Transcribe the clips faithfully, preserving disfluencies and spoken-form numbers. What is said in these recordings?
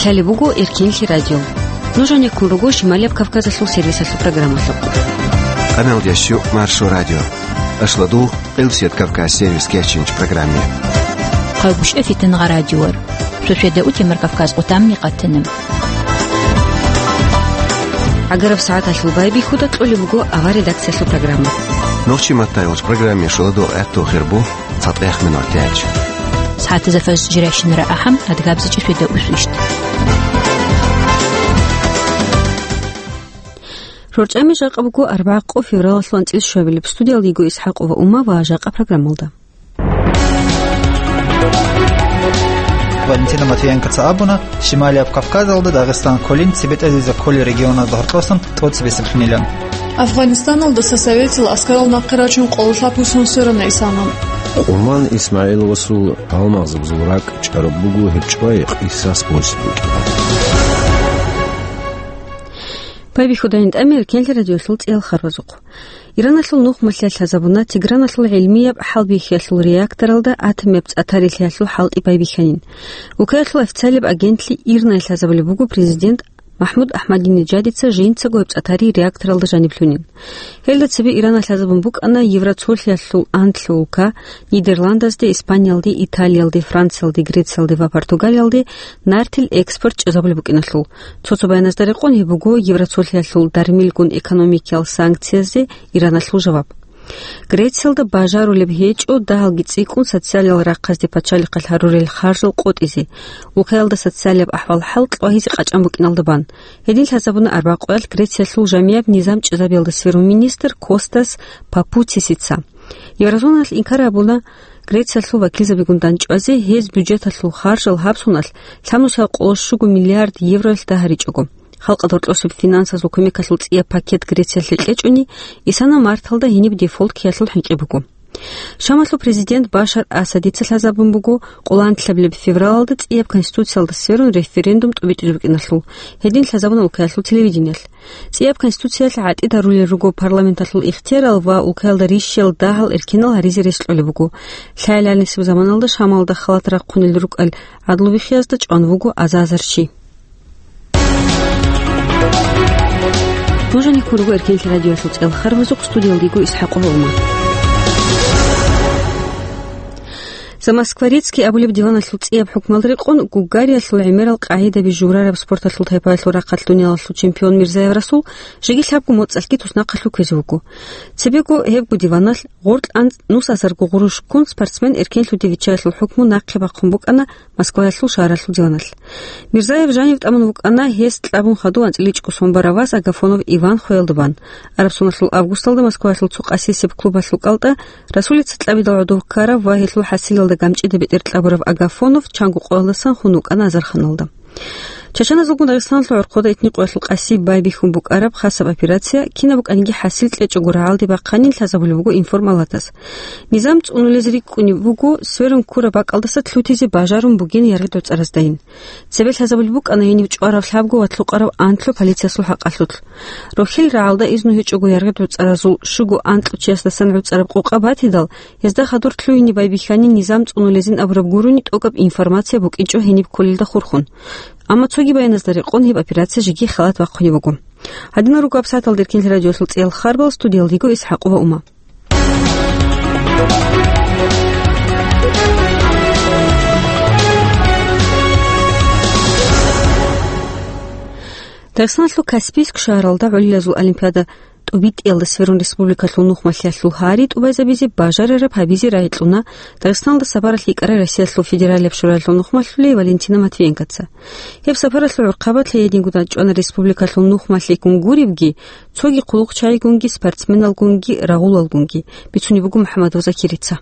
Лъалеб буго Эркенлъи радио. Нуж гьанеккун руго Шималияб Кавказалъул сервисалъул программалъухъ. Къаналдящу Маршо радио. Ашладу Къилсият Кавказ сервис кечинч программе. Хъалбушев Фитангъа радиор. Суседа утемар Кавказ къутамни къатана. ГӀагараб сагӀаталъул байбихьуда кьолеб буго авар редакциялъул программа. Нохчи маттайолч программе шуладо гӀатту хирбу цатӀех минутач. СагӀатазда фаз жиращинара ахӀам, адгабзичӀи светда усвищт. РорчӀами жакъа буго арбагӀа къо февралалъул анцӀил щвабилеб. Студиялда йиго ИсхӀакъова Ума ва жакъа программалда. Валентина Матвиенкоца абуна, Шималияб Кавказалда Дагъистан кколин цебетӀезезе кколел регионазда гьоркьосан тӀоцебесеблъунилан. Афганистаналдаса советил аскарал нахъе рачун къоло лъабго сон сверана исана. Къуман ИсмагӀиловасул гьалмагъзабазул ракӀ чӀараб буго гьеб чӀвай къисас босизе букӀин. Байбихьудайин тӀами Эркенлъи радиолъул цӀиял харбазухъ. Ираналъул нухмалъиялъ лъазабуна Теграналъул гӀилмияб хӀалбихьиялъул реакторалда атомияб цӀатарилъиялъул хӀалтӀи байбихьанин. Укаялъул официалияб агентлъи ИРНА-ялъ лъазабулеб буго президент МахӀмуд Ахмадинеджадица жинцаго гьеб цӀатари реакторалда жаниб лъунин. Гьелда цебе Ирана лъазабун букӀана Евроцолъиялъул анлъго улка, Нидерландазде, Испаниялде, Италиялде, Франциялде, Грециялде ва Португалиялде нартил экспорт чӀезабулеб букӀиналъул. Цо-цо баяназда рекъон гьеб буго Евроцолъиялъул дармилгун экономикиял санкциязде Ираналъул жаваб. Грециялда бажарулеб гьечӀо дагьалги цӀикӀкӀун социалиял рахъазде пачалихъалъ гьарурел харжал къотӀизе, улкаялда социалияб ахӀвал-хӀал кьвагьизе къачӀан букӀиналда бан. Гьедин лъазабуна арбагъ къоялъ Грециялъул жамияб низам чӀезабиялда сверун министр Костас Папуцисица. Еврозоналъ инкар гьабуна Грециялъул вакилзабигун дандчӀвазе, гьез бюджеталъул харжал гьаб соналъ лъабнусиялда къоло щуго миллиард евроялъ дагьаричӀого. Халкъалда гьоркьосеб финансазул кумекалъул цӀияб пакет Грециялъе кьечӀони, исана марталда гьениб дефолт ккеялъул хӀинкъи буго. Шамалъул президент Башар Асадица лъазабун буго къоло анлъабилеб февралалда цӀияб конституциялда сверун референдум тӀубитӀизе букӀиналъул, гьедин лъазабуна улкаялъул телевидениялъ. ЦӀияб конституциялъ гӀатӀидарулел руго парламенталъул ихтиярал ва улкаялда рищиялда дагьал эркенал гьаризе рес кьолеб буго. Лъаялалнисеб заманалда Шамалда халат рахъунел рукӀал гӀадлу биххиязда чӀван вуго аза-азар чи. Нуж гьанеккун руго Эркенлъи радиоялъул цӀиял харбазухъ, студиялда йиго ИсхӀакъова Ума. Замоскворецкий абулеб диваналъул цӀияб хӀукмалда рекъон Гугариялъул гӀемерал къагӀидаби журараб спорталъул тайпаялъул рахъалъ дуниялалъул чемпион Мирзаев Расул жеги лъабго моцӀалъги туснахъалъув кквезе вуго. Цебего гьебго диваналъ гъоркь анцӀ нусазарго гъурущ ккун спортсмен эркенлъуде виччаялъул хӀукму нахъе бахъун букӀана Москваялъул шагьаралъул диваналъ. Мирзаев жанив тӀамун вукӀана гьес кьабун хадув анцӀила чӀухӀи сон барав вас Агафонов Иван хвеялда бан. Араб соналъул августалда Москваялъул цо къасисеб клубалъул кӀалтӀа Расулица кьабидал гӀодов ккарав ва гьелъул хӀасилалда гамчӀида бетӀер кьабурав Агафонов чанго къоялдасан хун вукӀана азарханалда. Чачаназулгун Дагъистаналъул гӀорхъода итни къоялъул къаси байбихьун букӀараб хасаб операция кинаб букӀаниги хӀасил кьечӀого рагӀалде бахъанин лъазабулеб буго информалатас. Низам цӀунулез рикӀкӀунеб буго сверун ккураб бакӀалдаса лъутизе бажарун бугин яргъи-доцӀараздайин. Цебе лъазабулеб букӀана гьениб чӀварав лъабго ва лъукъарав анлъго полициясул хӀакъалъулъ. Рохел рагӀалда изну гьечӀого яргъи-доцӀаразул щуго анлъго чиясдасан гӀуцӀараб къокъа батидал, гьезда хадур лъугьине байбихьани низам цӀунулезин абураб гурони тӀокӀаб информация букӀинчӀо гьениб кколелда хурхун. Амма цоги баяназда рекъон гьеб операция жеги халат бахъунеб буго. Гьадинал руго гьаб сагӀаталда Эркенлъи радиоялъул цӀиял харбал, студиялда йиго ИсхӀакъова Ума. Дагъистаналъул Каспийск шагьаралда гӀолилазул олимпиада тӀубитӀиялда сверун республикалъул нухмалъиялъул гьари тӀубайзабизе бажарараб гьабизе рагӀи кьуна Дагъистаналда сапаралъ йикӀарай Россиялъул Федералияб Шураялъул нухмалъулей Валентина Матвиенкоца. Гьеб сапаралъул гӀурхъабалъ гьединго дандчӀвана республикалъул нухмалъигун гуребги, цоги хъулухъчагӀигунги, спортсменалгунги, рагъулалгунги, бицунеб буго МухӀамадов Закирица.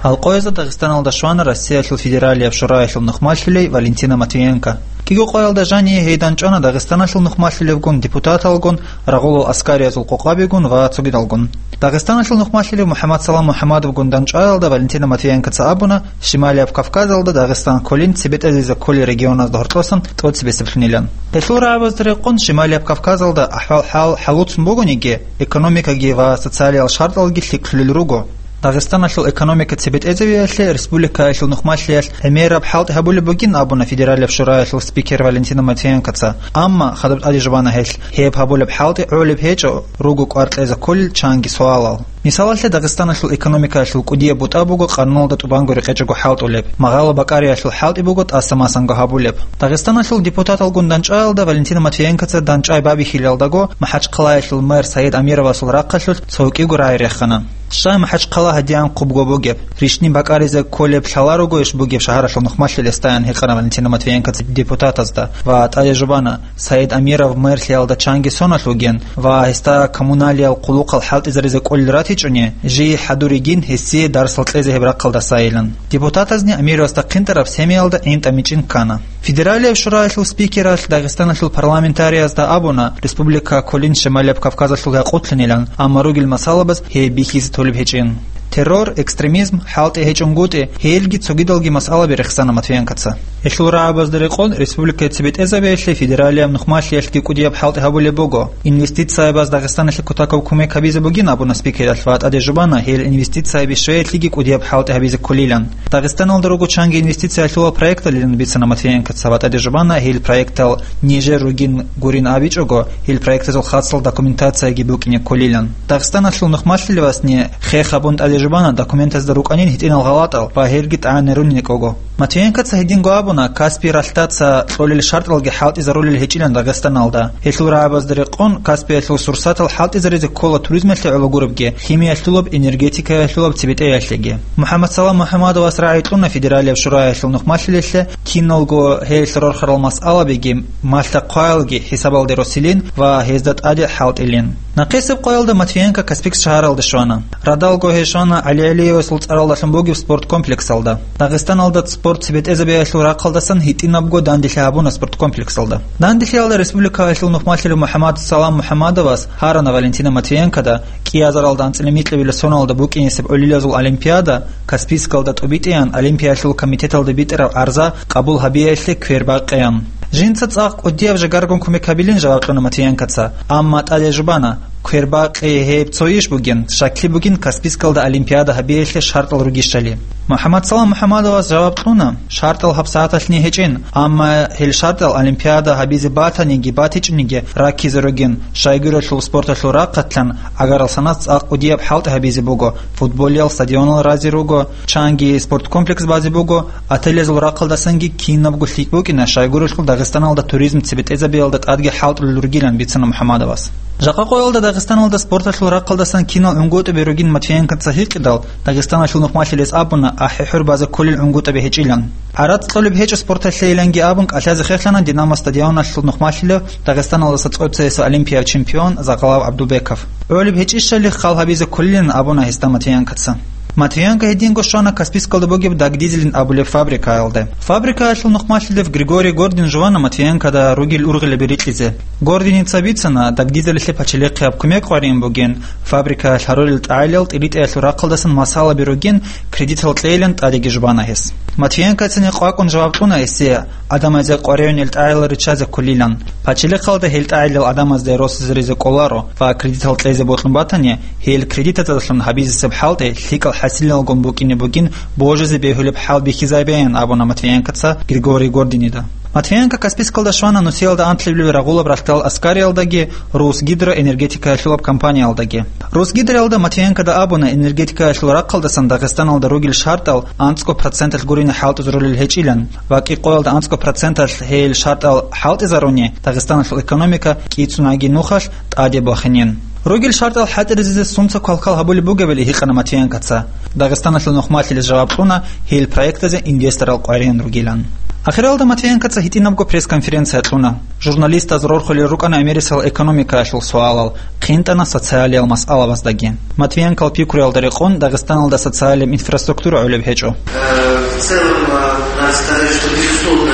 Гьал къоязда Дагъистаналда щвана Россиялъул Федералияб Шураялъул нухмалъулей Валентина Матвиенко. КӀиго къоялда жание гьей дандчӀвана Дагъистаналъул нухмалъулевгун, депутаталгун, рагъулал аскариязул къокъабигун ва цогидалгун. Дагъистаналъул нухмалъулев МухӀаммадсалам МухӀаммадовгун дандчӀваялда Валентина Матвиенкоца абуна, Шималияб Кавказалда Дагъистан кколин цебетӀезезе кколел регионазда гьоркьосан тӀоцебесеблъунилан. Гьелъул рагӀабазда рекъон Шималияб Кавказалда ахӀвал-хӀал хӀалуцун бугониги, экономикаги ва социалиял шартӀалги лъикӀлъулел руго. Дагъистаналъул экономика цебетӀезавиялъе республикаялъул нухмалъиялъ гӀемераб хӀалтӀи гьабулеб бугин абуна Федералияб Шураялъул спикер Валентина Матвиенкоца, амма хадуб тӀаде жубана гьелъ, гьеб гьабулеб хӀалтӀи гӀолеб гьечӀо, руго кӀвар кьезе кколел чанги суалал. Мисалалъе, Дагъистаналъул экономикаялъул кӀудияб бутӀа буго къануналда тӀубанго рекъечӀого хӀалтӀулеб, магъало-бакӀариялъул хӀалтӀи буго тӀаса-масанго гьабулеб. Дагъистаналъул депутаталгун дандчӀваялда Валентина Матвиенкоца дандчӀвай бабихьилалдаго МахӀачхъалаялъул мэр Саид Амировасул рахъалъулъ цо кӀиго рагӀи рехана. Щай МахӀачхъала гьадиян хъубго бугеб? Рищни бакӀаризе кколеб лъала ругойищ бугеб шагьаралъул нухмалъил гьесдаян гьикъана Валентина Матвиенкоца депутатазда ва тӀаде жубана, Саид Амиров мэрлъиялда чанги соналъ вугин ва гьесда коммуналиял хъулухъал хӀалтӀизаризе кӀолел ратичӀони, жий хӀадуригин гьесие дарсал кьезе гьеб рахъалдасайилан. Депутатазни Амировасда хъинтӀараб семиялда гӀинтӀамичӀин ккана. Федералияб Шураялъул спикералъ Дагъистаналъул парламентариязда абуна, республика кколин Шималияб Кавказалъул гьакъулъинилан, амма ругел масъалабаз гьей бихьизе толеб гьечӀин. Террор, экстремизм, хӀалтӀи гьечӀонгутӀи, гьелги цогидалги масъалаби рехсана Матвиенкоца. Гьелъул рагӀабазда рекъон республикаялъ цебетӀезабиялъе федералияб нухмалъиялъги кӀудияб хӀалтӀи гьабулеб буго. Инвестициябаз Дагъистаналъе кутакаб кумек гьабизе бугин абуна спикералъ ва тӀаде жубана, гьел инвестицияби щвеялъеги кӀудияб хӀалтӀи гьабизе кколилан. Дагъистаналда руго чанги инвестициялъулал проекталилан бицана Матвиенкоца ва тӀаде жубана, гьел проектал нижер ругин гурин абичӀого, гьел проектазул хасал документацияги букӀине кколилан. Дагъистаналъул нухмалъилевасни хех гьабун тӀаде жубана документазда рукӀанин гьитӀинал гъалатӀал ва гьелги тӀагӀинарунин кӀого. Матвиенкоца гьединго абуна, Каспий ралъдаса кьолел шартӀалги хӀалтӀизарулел гьечӀилан Дагъистаналда. Гьелъул рагӀабазда рекъон, Каспиялъул сурсатал хӀалтӀизаризе ккола туризмалъе гӀоло гуребги, химиялъулаб, энергетикаялъулаб цебетӀеялъеги. МухӀаммадсалам МухӀаммадовас рагӀи кьуна Федералияб Шураялъул нухмалъилелъе киналго гьелъ рорхарал масъалабиги, малъа-хъваялги хӀисабалде росилин ва гьезда тӀаде хӀалтӀилин. Нахъисеб къоялда Матвиенко Каспийск шагьаралде щвана. Радалго гьей щвана ГӀалигӀалиевасул цӀаралдалъун бугеб спорт комплексалда. Дагъистаналда спорт цебетӀезабиялъул рахъалдасан гьитӀинабго данделъи гьабуна спорт комплексалда. Данделъиялда республикаялъул нухмалъилев МухӀаммадсалам МухӀаммадовас гьарана Валентина Матвиенкода кӀиазаралда анцӀила микьабила соналда букӀинесеб гӀолилазул олимпиада Каспийскалда тӀубитӀеян Олимпиялъул комитеталда битӀараб гӀарза къабул гьабиялъе квербакъеян. Жинца цӀакъ кӀудияб жагаргун кумек гьабилин жаваб кьуна Матвиенкоца, амма тӀаде жубана, квербакъи гьеб цо иш бугин, щаклъи бугин Каспийскалда олимпиада гьабиялъе шартӀал ругищали. МухӀаммадсалам МухӀаммадовас жаваб кьуна, шартӀал гьабсагӀаталъни гьечӀин, амма гьел шартӀал олимпиада гьабизе батаниги батичӀониги раккизе ругин, щайгурелъул спорталъул рахъалъан гӀагарал санас цӀакъ кӀудияб хӀалтӀи гьабизе буго, футболиял стадионал разе руго, чанги спорткомплекс базе буго, отелазул рахъалдасанги кинабго лъикӀ букӀина, щайгурелъул Дагъистаналда туризм цебетӀезабиялда тӀадги хӀалтӀулел ругилан бицана МухӀаммадовас. Жакъа къоялда Дагъистаналда спорталъул рахъалдасан кинал гӀунгутӀаби ругин Матвиенкоца гьикъидал, Дагъистаналъул нухмалъилес абуна, ахӀи-хӀур базе кколел гӀунгутӀаби гьечӀилан. ГӀарац кьолеб гьечӀо спорталъейиланги абун кӀалъазе хехлъана Динамос стадионалъул нухмалъилев Дагъистаналдаса цӀоцаеса олимпияб чемпион Закъалав ГӀабдулбеков. ГӀолеб гьечӀищали хал гьабизе кколилан абуна гьесда Матвиенкоца. Матвиенко гьединго щвана Каспийскалда бугеб Дагдизелин абулеб фабрикаялде. Фабрикаялъул нухмалъилев Григорий Гордин жувана Матвиенкода ругел ургъилаби рикьизе. Гординица бицана, Дагдизелилъе пачалихъияб кумек къваригӀун бугин, фабрикаялъ гьарулел тӀагӀилал тӀиритӀиялъул рахъалдасан масъалаби ругин, кредитал кьейилан тӀадеги жубана гьес. Матвиенкоцани къвакӀун жаваб кьуна гьесие, гӀадамазе къваригӀунел тӀагӀилал риччазе кколилан. Пачалихъалда гьел тӀагӀилал гӀадамазде росизаризе кӀоларо ва кредитал кьезе бокьун батани, гьел кредитазалъун гьабизесеб хӀалтӀи лъикӀал хӀасилалгун букӀине бугин божизе бегьулеб хӀал бихьизабеян абуна Матвиенкоца Григорий Гординида. Матвиенко Каспийскалда щвана нусиялда анлъабилеб рагъулаб ралъдал аскариялдаги Русгидроэнергетикаялъулаб компаниялдаги. Русгидроялда Матвиенкода абуна энергетикаялъул рахъалдасан Дагъистаналда ругел шартӀал анцӀго проценталъ гурине хӀалтӀизарулел гьечӀилан ва кӀикъоялда анцӀго проценталъ гьел шартӀал хӀалтӀизаруни, Дагъистаналъул экономика кӀицӀунаги нухалъ тӀаде бахинин. Ругел шартӀал хӀалтӀизаризе сунца квалквал гьабулеб бугебали гьикъана Матвиенкоца. Дагъистаналъул нухмалъилес жаваб кьуна гьел проектазе инвесторал къваригӀун ругилан. Ахиралда Матвиенкоца гьитӀинабго пресс-конференция кьуна. Журналистаз рорхулел рукӀана гӀемерисел экономикаялъул суалал, хъинтӀана социалиял масъалабаздаги. Матвиенкол пикруялда рекъон Дагъистаналда социалияб инфраструктура гӀолеб гьечӀо. Э, в целом, э, надо сказать, что, безусловно,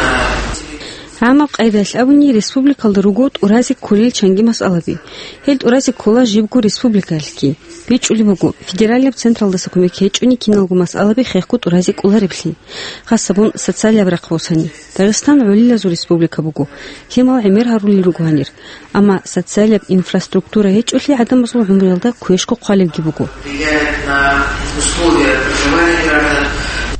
ГӀамаб къайдаялъ абуни, республикалда руго тӀуразе кколел чанги масъалаби. Гьел тӀуразе ккола жибго республикаялъги. БичӀчӀулеб буго, федералияб централдаса кумек гьечӀони киналго масъалаби хехго тӀуразе кӀолареблъи, хасабун социалияб рахъ босани. Дагъистан гӀолилазул республика буго, лъимал гӀемер гьарулел руго гьанир. Амма социалияб инфраструктура гьечӀолъи гӀадамазул гӀумруялда квешго хъвалебги буго. Влияет на условия проживания граждан.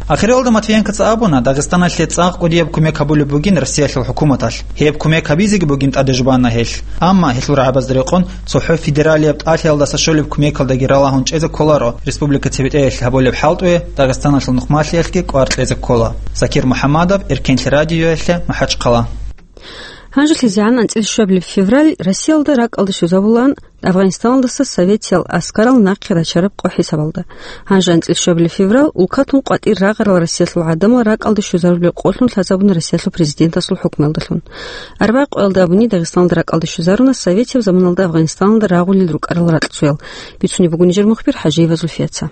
Ахиралда Матвиенкоца абуна, Дагъистаналъе цӀакъ кӀудияб кумек гьабулеб бугин Россиялъул хӀукуматалъ. Гьеб кумек гьабизеги бугин тӀадежбана гьелъ. Амма гьелъул рагӀабазда рекъон цохӀо федералияб тӀалъиялдаса щолеб кумекалдаги ралагьун чӀезе кколаро республика цебетӀеялъ гьабулеб хӀалтӀуе Дагъистаналъул нухмалъиялъги кӀвар кьезе ккола. Закир МухӀаммадов, Эркенлъи радиоялъе, МахӀачхъала. ГьанжелъизегӀан анцӀила щуабилеб февраль Россиялда ракӀалде щвезабулаан Афгъанистаналдаса советиял аскарал нахъе рачараб къо хӀисабалда. Гьанже анцӀила щуабилеб февраль улкатун къватӀир рагъарал Россиялъул гӀадамал ракӀалде щвезарулеб къолъун лъазабуна Россиялъул президентасул хӀукмуялдалъун. Арбагъ къоялда абуни Дагъистаналда ракӀалде щвезаруна советияб заманалда Афгъанистаналда рагъулел рукӀарал ракьцоял. Бицунеб буго нижер мухбир ХӀажиева Зульфияца.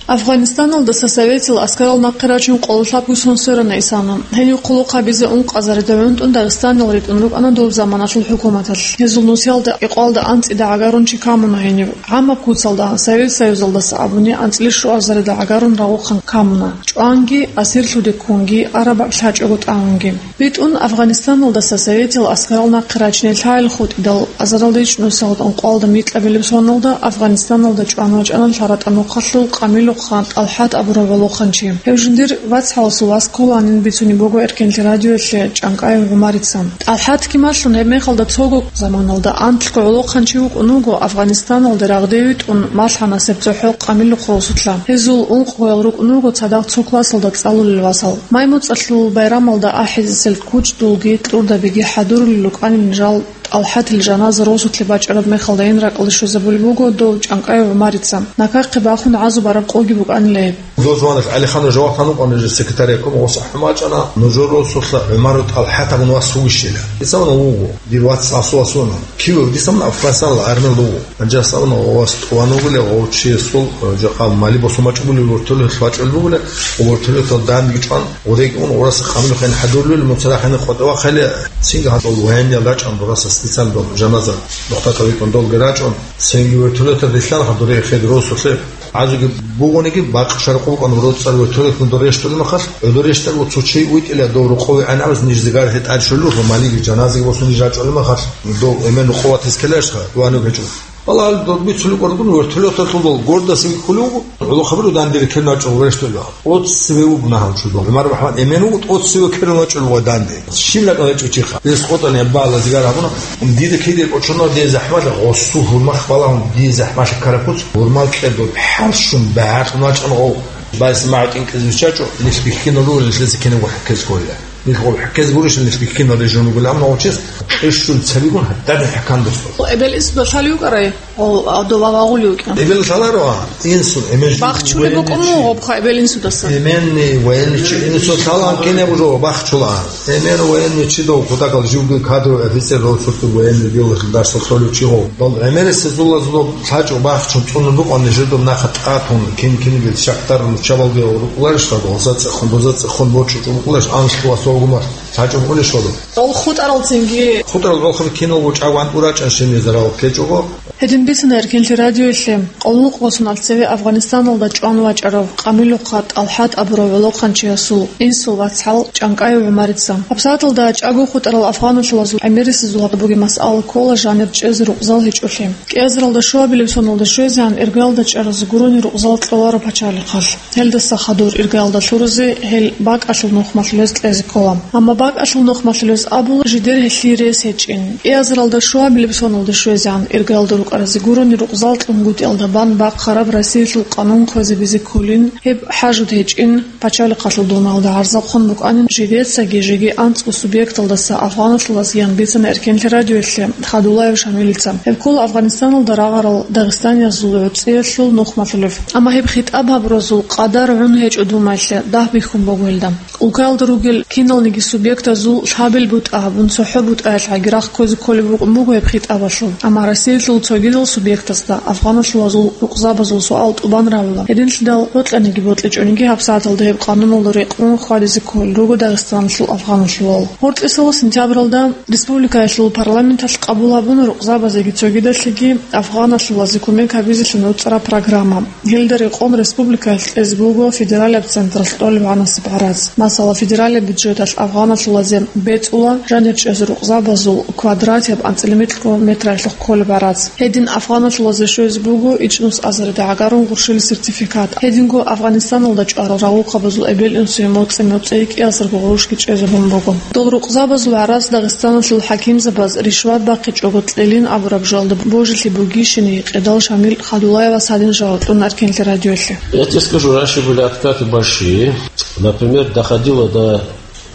Афгъанистаналдаса советил аскарал нахъе рачун къоло лъабго сон сверана исана. Гьенив хъулухъ гьабизе ункъазарида гӀунтӀун дагъистанал ритӀун рукӀана доб заманалъул хӀукуматалъ. Гьезул нусиялда, кӀикъоялда анцӀида гӀагарун чи камуна гьенив. ГӀамаб куцалда, Совет Союзалдаса абуни анцӀила щуазарида гӀагарун рагъухъан камуна. ЧӀванги, асирлъуде ккунги, араб лъачӀого тӀамунги. БитӀун Афгъанистаналдаса советил аскарал нахъе рачине лъайил хутӀидал, азаралда ичӀнусиялда ункъоялда микьабилеб соналда Афгъанистаналда чӀван вачӀана лъаратӀа нухалъул Къамилухъан ТӀалхӀат абурав гӀолохъанчи. Гьев жиндир вацгӀаласул вас кколанин бицунеб буго Эркенлъи радиоялъе ЧӀанкӀаев ГӀумарица. ТӀалхӀат кималъун гьеб мехалда цого заманалда анлъго гӀолохъанчи вукӀун вуго Афгъанистаналда рагъде витӀун малъанасеб цохӀо Къамилухъ росулъа. Гьезул ункъоял рукӀун руго цадахъ цо классалда цӀалулел васал. Май-муцӀалъул байрамалда ахӀизесел кучӀдулги кьурдабиги хӀадурулел рукӀанин жал ТӀалхӀатил жаназа росулъе бачӀараб мехалдайин ракӀалде щвезабулеб буго дов ЧӀанкӀаев ГӀумарица. Накахъе бахун гӀазу бараб къоги букӀанила гьеб. Дов жаваналъ ГӀалиханов жаваб гьанукъана жер секретарь обкома, гъос ахӀун бачӀана, нужер росулъа ГӀумару ТӀалхӀат абун вас вугищила. Дица абуна вуго, дир вац асул асуна. Кивав дица абуна Афгъанистаналда армиялда вуго. Гьанже гьас абуна, гъов вас тӀуван вугила, гъов чиясул, э, жакъа мали босун бачӀун бугила, вертолеталъ вачӀун бугила, гъов вертолеталда данде чӀван, гъодеги ун гъораса Къамилухъе гьадурулел, муцарахъе къватӀивахъайилан, цинги гьадул военныял рачӀун гъораса специально дол жаназа нухда кавитӀун долги рачӀун, цинги вертолеталда рилълъана гьадур хӀеде росулъе. ГӀазуги бугониги, бакъ шаркъ букӀун роцӀцӀар вертолеталда рещтӀулеб мехалъ, гӀодор рещтӀарав цо чи витӀила дов рокъове гӀанабаз ниж зигар гьетӀар щолелъул, малиги жаназаги босун ниж рачӀулеб мехалъ, дов эмен рукъоватиз ккеларищха, вануг гьечӀо. Балагьал доб бицулеб къоркьун вертолеталъул дол гордасаги кколев вуго, гӀолохъабиру данде рекерун вачӀун вуго рещтӀулев. ТӀоцеве вуго нагьав чудо. ГӀумар МухӀамад Эмен вуго, тӀоцеве ккерун вачӀун вуго данде. Щиб ракӀалда гьечӀо чиха. Гьес къотӀани гьеб балагьал зигар гьабуна. Дида киде кӀочон дие захӀмалъа гъосул гьурмахъ балагьун, дие захӀмалъа ккараб куц, гьурмал кьедо бхӀарщун багьадлъун вачӀун гъов. Байс магӀу тӀинкӀизе виччачӀо, нилъ бихьинал ругел, нилъеца кинабго хӀеккез кколила. Нилъ гъов хӀеккез гурищ, нилъ бихьинал режим ругел, амма гъов чияс къищун цебегун гьададин хӀекан досдо. Эбел инсуда лъалев вукӀарай, гъов, а, дова вагъулев вукӀа. Эбел лъаларо, а, инсун, эмен жи-, бахчулеб военный букӀун чи. Гъоб хъа эбел инсудаса. Эменни военный чи, инсун лъалаан кинаб жо бахчулаан. Эмен военный чи дов, кутакал живги кадровый офицер дов, цо-цо военный дело дарсал цолев чи гъов. Дол гӀемерисезулазулаб лъачӀо бахчун цӀунун букӀун нижер доб нахъа тӀатун, кин-кинигел шахтар руччабалде рукӀуларищ, гъоза цӀехун, доза цӀехун борчӀучӀун букӀуларищ, анлъго ва согумар. ЛъачӀого унищ гъодо? Гъол хутӀарал цинги. ХутӀарал гъолхъаби киналго чӀаго вантӀу рачӀан щибнизе рагъул ккечӀого. Гьедин бицана Эркенлъи радиоялъе къолнукъго соналъ цеве Афгъанистаналда чӀван вачӀарав Къамилухъа ТӀалхӀат абурав гӀолохъанчиясул инсул вацгӀал ЧӀанкӀаев ГӀумарица. ГьабсагӀаталда чӀаго хутӀарал афгъаналъулазул гӀемерисезул гьаб бугеб масъала ккола жанир чӀезе рукъзал гьечӀолъи. КӀиазаралда шуабилеб соналда щвезегӀан иргаялда чӀаразе гурони рукъзал кьоларо пачалихъалъ. Гьелдаса хадур иргаялда лъуразе гьел бакӀалъул нухмалъулез кьезе ккола. Амма бакӀалъул нухмалъулез абула жидер гьелъие рес гьечӀин. КӀиазаралда шуабилеб соналда щвезегӀан иргаялда рукӀаразе гурони рукъзал кьунгутӀиялда бан бахъараб Россиялъул къанун кквезабизе кколин, гьеб хӀажуд гьечӀин, пачалихъалъул дуниялда гӀарзахъун букӀанин, жидецаги жеги анцӀго субъекталдаса афгъаналъулазеян бицана Эркенлъи радиоялъе Хадулаев Шамилица. Гьеб ккола Афгъанистаналда рагъарал дагъистаниязул гӀуцӀиялъул нухмалъулев. Амма гьеб хитӀаб гьабуразул къадар гӀун гьечӀо думаялъе, дагь бихьун буго гьелда. Улкаялда ругел киналниги субъектазул лъабил бутӀа гьабун, цохӀо бутӀаялъ Гьагирахъ ккозе кколеб букӀун буго гьеб хитӀабалъул. Амма Россиялъул цогидал субъектазда афгъаналъулазул рукъзабазул суал тӀубан равила. Гьединлъидал гьоркьаниги бокьичӀониги гьабсагӀаталда гьеб къануналда рекъон хьвадизе кколел руго Дагъистаналъул афгъаналъулал. Гьоркьисала сентябралда республикаялъул парламенталъ къабул гьабуна рукъзабазеги цогидалъеги афгъаналъулазе кумек гьабизелъун руцӀараб программа. Гьелда рекъон республикаялъ кьезе буго федералияб централъ тӀолеб гӀанасеб гӀарац. Масала, федералияб бюджеталъ афгъаналъулазе бецӀула, жанир чӀезе рукъзабазул квадратияб анцӀила микьго метраялъухъ кколеб гӀарац. Гьедин афгъаналъулазе щвезе буго ичӀнус азарде гӀагарун гъурщил сертификат. Гьединго Афгъанистаналда чӀварал рагъухъабазул эбел-инсуе моцӀи-моцӀи кӀиазарго гъурущги чӀезабун буго. Дол рукъзабазул гӀарац Дагъистаналъул хӀакимзабаз ришват бахъичӀого кьелин абураб жоялда божилъи бугищинеги къедал Шамил Хадулаевас гьадин жаваб кьуна Эркенлъи радиоялъе. Я тебе скажу, раньше были откаты большие. Например, доходило до,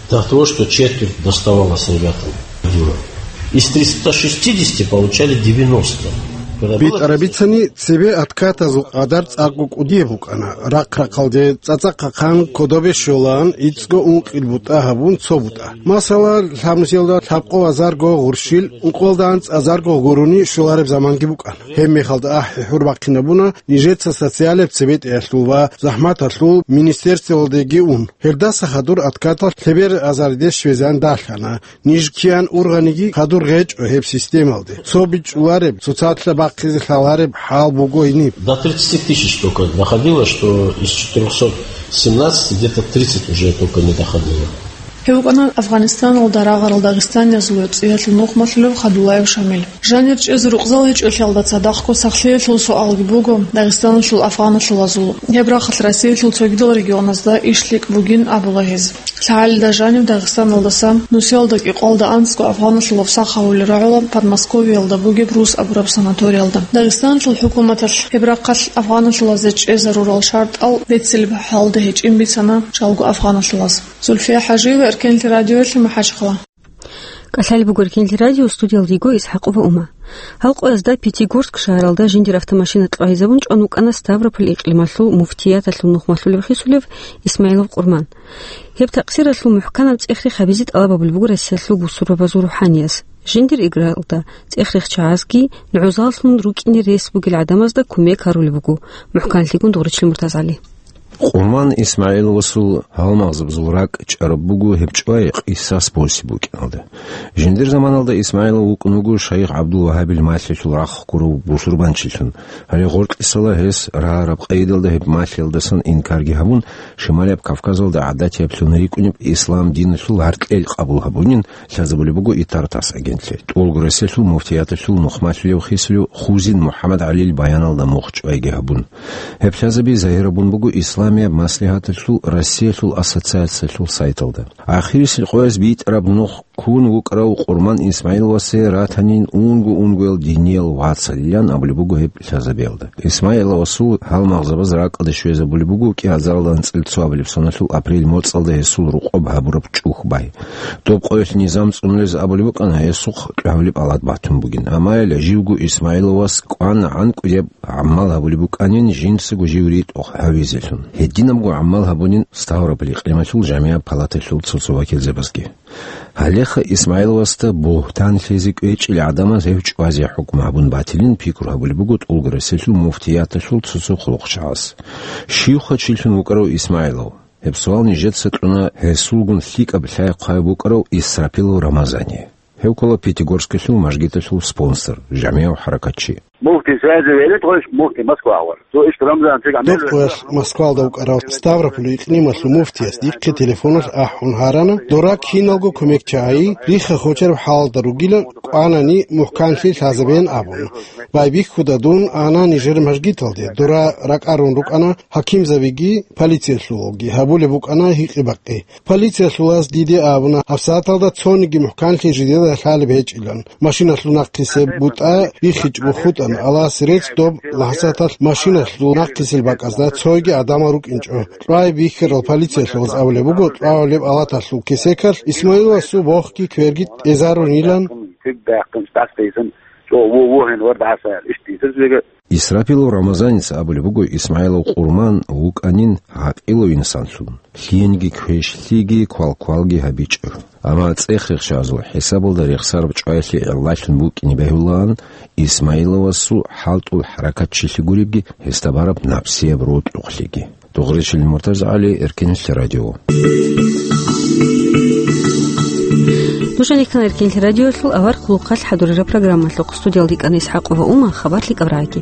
до того, что четверть доставалось ребятам. Из триста шестидесяти получали девяносто. Когда было БитӀараб бицани, цебе откатазул къадар цӀакъго кӀудияб букӀана. Рахъ-рахъалде цӀацӀахъ хъан кодобе щолаан, иццго ункъил бутӀа гьабун цо бутӀа. Масала, лъабнусиялда лъабкъо азарго гъурщил, ункъоялда анцӀазарго гурони щолареб заманги букӀана. Гьеб мехалда ахӀи хӀур бахъинабуна нижеца социалияб цебетӀеялъул ва захӀматалъул министерствоялдеги ун. Гьелдаса хадур откатал лъебер азаридеш щвезан далъана. Ниж киян ургъаниги хадур гьечӀо гьеб системалде. Цо бичӀчӀулареб, цоцалъа бахъизе лъалареб хӀал буго гьениб. До тридцати тысяч только доходило, что из четырёхсот семнадцати где-то тридцать уже только не доходило. Гьев вукӀана Афгъанистаналда рагъарал дагъистаниязул цӀиялъул нухмалъулев Хадулаев Шамил. Жанир чӀезе рукъзал гьечӀолъиялда цадахъго сахлъиялъул суалги буго Дагъистаналъул афгъаналъулазул. Гьеб рахъалъ Россиялъул цогидал регионазда иш лъикӀ бугин абула гьез. ЛъагӀалида жанив Дагъистаналдаса нусиялда кӀикъоялда анцӀго афгъаналъулав сах гьавулел рагӀула Подмосковьеялда бугеб Рус абураб санаториялда. Дагъистаналъул хӀукуматалъ гьеб рахъалъ афгъаналъулазе чӀезарурал шартӀал берцинаб хӀалда гьечӀин бицана чӀалго афгъаналъулаз. Зульфия ХӀажиева, Эркенлъи радиоялъе, МахӀачхъала. КӀалъалеб буго Эркенлъи радио, студиялда йиго ИсхӀакъова Ума. Гьал къоязда Пятигорск шагьаралда жиндир автомашина кьвагьизабун чӀван вукӀана Ставрополь икълималъул муфтияталъул нухмалъулев хисулев Исмаилов Къурман. Гьеб такъсиралъул мухӀканаб цӀех-рех гьабизе тӀалаб гьабулеб буго Россиялъул бусурбабазул рухӀаниязда. Жиндир игралда цӀех-рех чагӀазги, нугӀзаллъун рукӀине рес бугел гӀадамазда кумек гьарулеб буго. МухӀканлъигун Дугъричил МуртазгӀали. Къурман Исмаиловасул гьалмагъзабазул ракӀ чӀараб буго гьеб чӀвай къисас босизе букӀиналда. Жиндир заманалда Исмаилов вукӀун вуго Шайх ГӀабдул-Вагьабил малъилъул рахъ гурав бусурбанчилъун. Гьале гъоркьисала гьес рагӀараб къайдалда гьеб малъиялдасан инкарги гьабун, Шималияб Кавказалда гӀадатияб лъун рикӀкӀунеб ислам диналъул гьаркьел къабул гьабунин лъазабулеб буго ИтартАСС агентлъи. ТӀолго Россиялъул муфтияталъул нухмалъулев хисулев Хузин МухӀаммадгӀалил баяналда мухъ чӀвайги гьабун. Гьеб лъазаби загьирабун буго Исламияб маслигьаталъул Россиялъул ассоциациялъул сайталда. Ахирисел къояз битӀараб нух ккун вукӀарав Къурман Исмаиловасе ратанин унго-унгоял диниял вацалилан абулеб буго гьеб лъазабиялда. Исмаиловасул гьалмагъзабаз ракӀалде щвезабулеб буго кӀиазаралда анцӀила цоабилеб соналъул апрель моцӀалда гьесул рокъоб гьабураб чӀухӀ бай. Доб къоялъ низам цӀунулез абулеб букӀана гьесухъ кьвагьабилеб алад батун бугин. Амма гьеле живго Исмаиловас кӀвана гӀанкӀидаб гӀамал гьабулеб букӀанин жинцаго жив ритӀухъ гьавизелъун. Гьединабго гӀамал гьабунин Ставрополь икълималъул жамигӀат палаталъул цо-цо вакилзабазги. Гьалеха Исмаиловасда бугьтан лъезе кӀвечӀел гӀадамаз гьев чӀвазе хӀукму гьабун батилин пикру гьабулеб буго ТӀолго Россиялъул муфтияталъул цо-цо хъулухъчагӀаз. Щивха чилъун вукӀарав Исмаилов? Гьеб суал нижеца кьуна гьесулгун лъикӀаб лъай-хъвай букӀарав Исрапилов Рамазание. Гьев ккола Пятигорскалъул мажгиталъул спонсор, жамигӀав хӀаракатчи. Муфти сазе велит гъош, муфти Москва гъор. Цо иш Рамзан чиг гӀамил. Доб къоялъ Москвалда вукӀарав Ставрополь икълималъул муфтияс дихъе телефоналъ ахӀун гьарана, дора киналго кумекчагӀи, рихха-хочараб хӀалалда ругилан, кӀванани мухӀканлъи лъазабеян абун. Байбихьуда дун ана нижер мажгиталде, дора ракӀарун рукӀана хӀакимзабиги, полициялъулги, гьабулеб букӀана гьикъи-бакъи. Полициялъулаз диде абуна, гьабсагӀаталда цониги мухӀканлъи жидеда лъалеб гьечӀилан. Машиналъул нахъисеб бутӀа биххичӀого хутӀана, Аллагьасе рецц, доб лахӀзаталъ машиналъул нахъисел бакӀазда цойги гӀадамал рукӀинчӀо. КьвагӀи бихьарал полициялъулаз абулеб буго, кьвагӀулеб алаталъул кесекалъ Исмаиловасул бохги кверги тӀезарунилан. Куьг бахъинчӀ тӀасбейзан Цо во-, вогьин вард гӀаса, ишти, сирсвега. Исрапилов Рамазаница абулеб буго, Исмаилов Къурман вукӀанин гӀакъилав инсанлъун, лъиениги квешлъиги квалквалги гьабичӀев. Амма цӀех-рехшазул хӀисабалда рехсараб чӀваялъе гӀиллалъун букӀине бегьулаан, Исмаиловасул хӀалтӀул хӀаракат чилъи гуребги, гьесда бараб напсияб рокьухълъиги. Дугъричил Муртаза ГӀали, Эркинлъи радио. Нуж гьанихъан Эркинлъи радиолъул авар хъулухъалъ хӀадурараб программалъухъ. Студиялда йикӀана ИсхӀакъова Ума, хабар лъикӀаб рагӀаги.